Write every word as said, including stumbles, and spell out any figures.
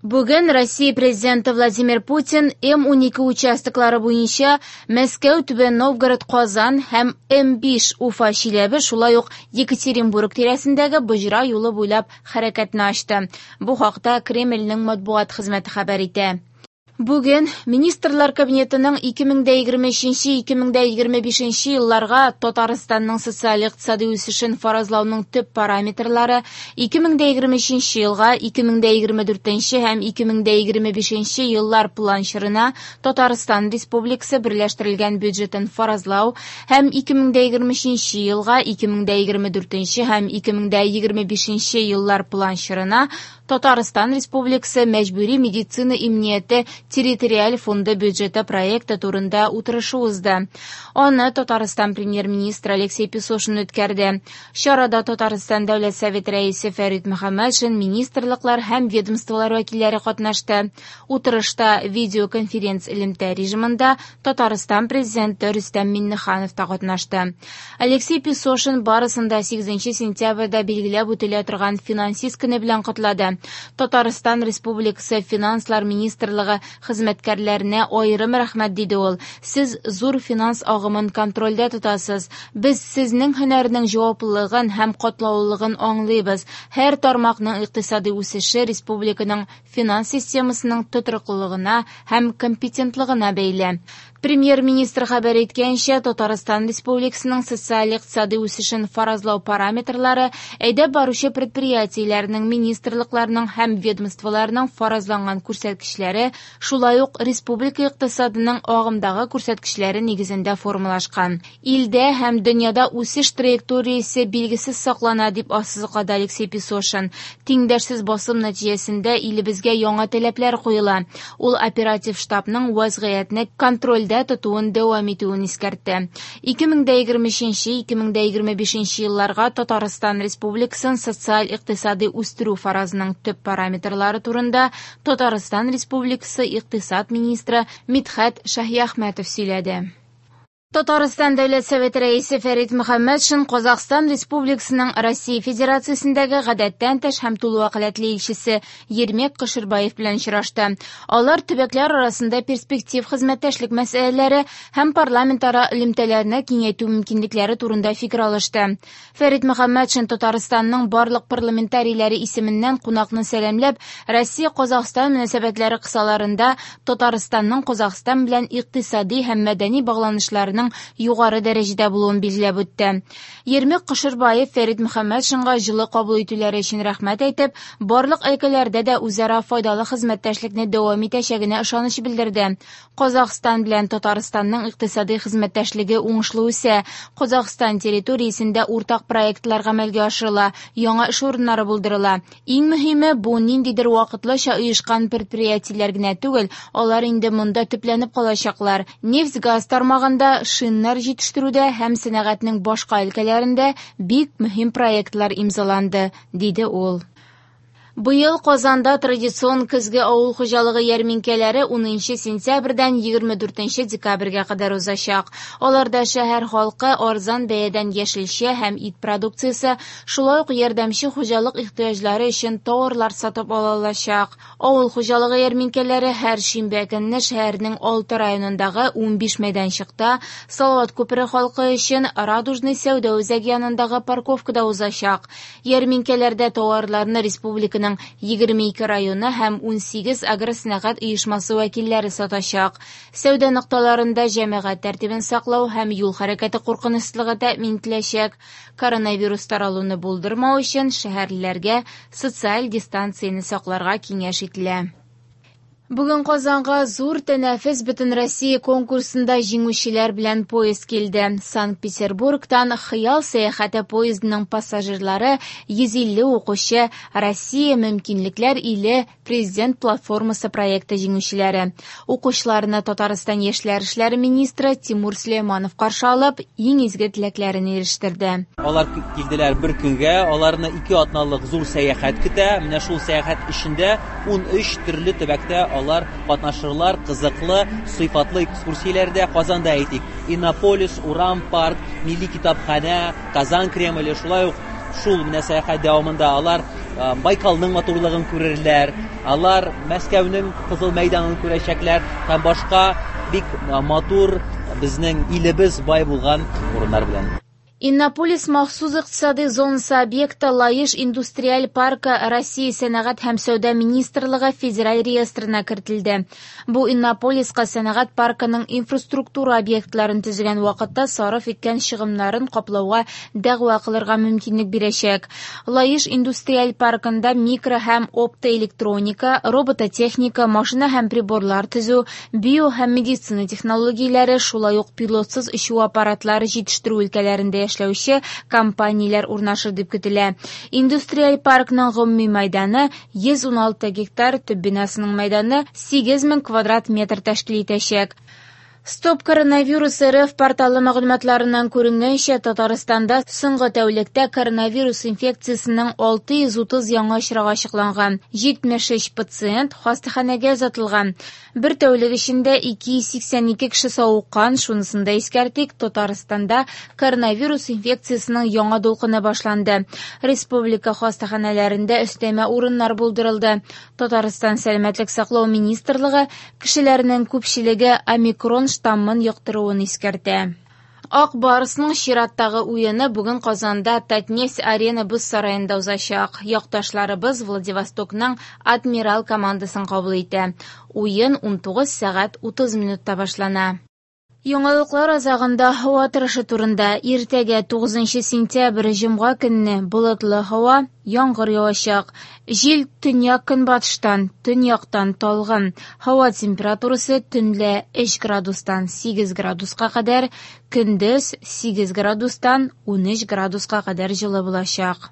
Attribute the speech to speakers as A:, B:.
A: Бүген Россия Президенты Владимир Путин М унике участоклары буенча Мәскәү, Түбән Новгород, Казан һәм М биш Уфа, Чиләбе, шулай ук Екатеринбург тирәсендәге боҗра юлы буйлап хәрәкәтне ачты. Бу хакта Кремльнең матбугат хезмәте хәбәр итә. Бүген Министрлар Кабинетының ике мең дә егерме өченче - ике мең дә егерме бишенче елларга Татарстанның социаль-икътисади үсешен фаразлауның төп параметрлары ике мең дә егерме өченче елга, ике мең дә егерме дүртенче һәм ике мең дә егерме бишенче еллар план чорына Татарстан Республикасы берләштерелгән бюджетын фаразлау һәм ике мең дә егерме өченче елга, ике мең дә егерме дүртенче һәм ике мең дә егерме бишенче еллар план чорына Татарстан Республикасы мәҗбүри медицина иминияте территориаль фонды бюджеты проекты турында утырышы узды. Аны Татарстан премьер-министры Алексей Песошин үткәрде. Чарада Татарстан Дәүләт Советы рәисе Фәрит Мөхәммәтшин, министрлыклар һәм ведомстволар вәкилләре катнашты. Утырышта видеоконференц элемтә режимында Татарстан президенты Рөстәм Миңнеханов та катнашты. Алексей Песошин барысын да сигезенче сентябрьдә билгеләп үтелә торган финансист көне белән котлады. Татарстан Республикасы Финанслар Министрлыгы хезмәткәрләренә аерым рәхмәт, диде ул. Сез зур финанс агымын контрольдә тотасыз. Без сезнең һөнәрнең җаваплылыгын һәм катлаулылыгын аңлыйбыз. Һәр тармакның икътисади үсеше республиканың финанс системасының тотрыклылыгына һәм компетентлыгына бәйле. Премьер-министр хәбәр иткәнчә, Татарстан Республикасының социаль-икътисади үсешен фаразлау параметрлары әйдәп баручы предприятиеләрнең, министрлыкларның һәм ведомстволарның фаразланган күрсәткечләре, шулай ук республика икътисадының агымдагы күрсәткечләре нигезендә формалашкан. Илдә һәм дөньяда үсеш траекториясе билгесез саклана, дип ассызыклады Алексей Песошин. Тиңдәшсез басым нәтиҗәсендә илебезгә яңа таләпләр куела. Ул оператив штабның вазгыятьне контрольдә тотуын дәвам итүен искәртте. Ике мең дә егерме өченче - ике мең дә егерме бишенче елларга Татарстан Республикасын социаль-икътисади үстерү фаразының төп параметрлары турында Татарстан Республикасы икътисад министры Мидхәт Шаһиәхмәтов сөйләде. Татарстан Дәүләт Советы рәисе Фәрит Мөхәммәтшин Казахстан Республикасының Россия Федерациясендәге гадәттән тыш һәм тулы вәкаләтле илчесе Ермек Кошербаев белән очрашты. Алар төбәкләр арасында перспектив хезмәттәшлек мәсьәләләре һәм парламентара элемтәләрне киңәйтү мөмкинлекләре турында фикер алышты. Фәрит Мөхәммәтшин Татарстанның барлык парламентарийләре исеменнән кунакны сәламләп, Россия-Казахстан мөнәсәбәтләре кысаларында Татарстанның Казахстан белән икътисади һәм мәдәни багланышларының югары дәрәҗәдә булуын билгеләп үтте. Ермек Кошербаев Фәрит Мөхәммәтшинга җылы кабул итүләре өчен рәхмәт әйтеп, барлык өлкәләрдә дә үзара файдалы хезмәттәшлекне дәвам итәчәгенә ышаныч белдерде. Казахстан белән Татарстанның икътисади хезмәттәшлеге уңышлы үсә. Казахстан территориясендә уртак проектлар гамәлгә ашырыла, яңа эш урыннары булдырыла. Иң мөһиме, бу ниндидер вакытлыча оешкан предприятиеләр генә түгел, алар инде монда төпләнеп калачаклар. Нефть-газ тармагында, шиннар җитештерүдә һәм сәнәгатьнең башка өлкәләрендә бик мөһим проектлар имзаланды, диде ул. Быел Казанда традицион көзге авыл хуҗалыгы ярминкәләре унынчы сентябрьдән егерме дүртенче декабрьгә кадәр узачак. Аларда шәһәр халкы арзан бәядән яшелчә һәм ит продукциясе, шулай ук ярдәмче хуҗалык ихтыяҗлары өчен товарлар сатып ала алачак. Авыл хуҗалыгы ярминкәләре һәр шимбә көнне шәһәрнең алты районындагы унбиш мәйданчыкта, Салават күпере халкы өчен Радужный сәүдә үзәге янындагы парковкада узачак. Ярминкәләрдә товарларны республиканың егерме ике районы һәм унсигез агросәнәгать оешмасы вәкилләре сатачак. Сәүдә нокталарында җәмәгать тәртибен саклау һәм юл хәрәкәте куркынычсызлыгы тәэмин ителәчәк. Коронавирус таралуны булдырмау өчен шәһәрлеләргә социаль дистанцияне сакларга киңәш ителә. Бүген Казанга зур тәнәфес бөтен Россия конкурсында җиңүчеләр белән поезд килде. Санкт-Петербургтан Хыял сәяхәте поездының пассажирлары йөз илле укучы Россия мөмкинлекләр иле президент платформасы проекты җиңүчеләре. Укучыларны Татарстан яшьләр эшләре министры Тимур Сөләйманов каршы алып, иң изге теләкләрен ирештерде.
B: Алар килделәр бер көнгә, аларны ике атналык зур сәяхәт көтә. Менә шул сәяхәт эчендә ун өч төрле төбәктә алар катнашырлар, кызыклы, сыйфатлы экскурсияләрдә. Казанда әйтик, Иннополис, Урам парк, Милли китапханә, Казан Кремле, шулай ук шул менә сәяхәт дәвамында алар Байкалның матурлыгын күрерләр, алар Мәскәүнең Кызыл мәйданын күрәчәкләр һәм башка бик матур безнең илебез бай булган урыннар белән.
A: Иннополис махсус икътисади зонасы объекты Лаеш индустриаль паркы Россия сәнәгать һәм сәүдә министрлыгы федераль реестрына кертелде. Бу Иннополиска сәнәгать паркының инфраструктура объектларын төзегән вакытта сарыф иткән чыгымнарын каплауга дәгъва кылырга мөмкинлек бирәчәк. Лаеш индустриаль паркында микро һәм оптоэлектроника, робототехника, машина һәм приборлар төзү, био һәм медицина технологияләре, шулай ук пилотсыз очу аппаратлары җитештерү өлкәләрендә эшләүче компанияләр урнашыр дип көтелә. Индустриаль паркның гомуми мәйданы йөз уналты гектар, төп бинасының мәйданы сигез мең квадрат метр тәшкил итәчәк. Стоп коронавирус эр эф порталы мәгълүматларыннан күренгәнчә, Татарстанда соңгы тәүлектә коронавирус инфекциясенең алты йөз утыз яңа очрагы ачыкланган. Җитмеш өч пациент хастаханәгә озатылган. Бер тәүлек эчендә ике йөз сиксән ике кеше савыккан. Шунысын да искәртик, Татарстанда коронавирус инфекциясенең яңа дулкыны башланды. Республика хастаханәләрендә өстәмә урыннар булдырылды. Татарстан Сәламәтлек саклау министрлыгы кешеләрнең күпчелеге омикрон штаммын йоктыруын искәртә. Ак Барсның чираттагы уены бүген Казанда Татнефть Арена боз сараенда узачак. Якташларыбыз Владивостокның Адмирал командасын кабул итә. Уен унтугыз сәгать утыз минутта башлана. Яңалыклар азагында һава торышы турында. Иртәгә тугызынчы сентябрь җомга көнне болытлы һава, яңгыр явачак. Җил төньяк-көнбатыштан, төньяктан талгын. Һава температурасы төнлә өч градустан сигез градуска кадәр, көндез сигез градустан унөч градуска кадәр җылы булачак.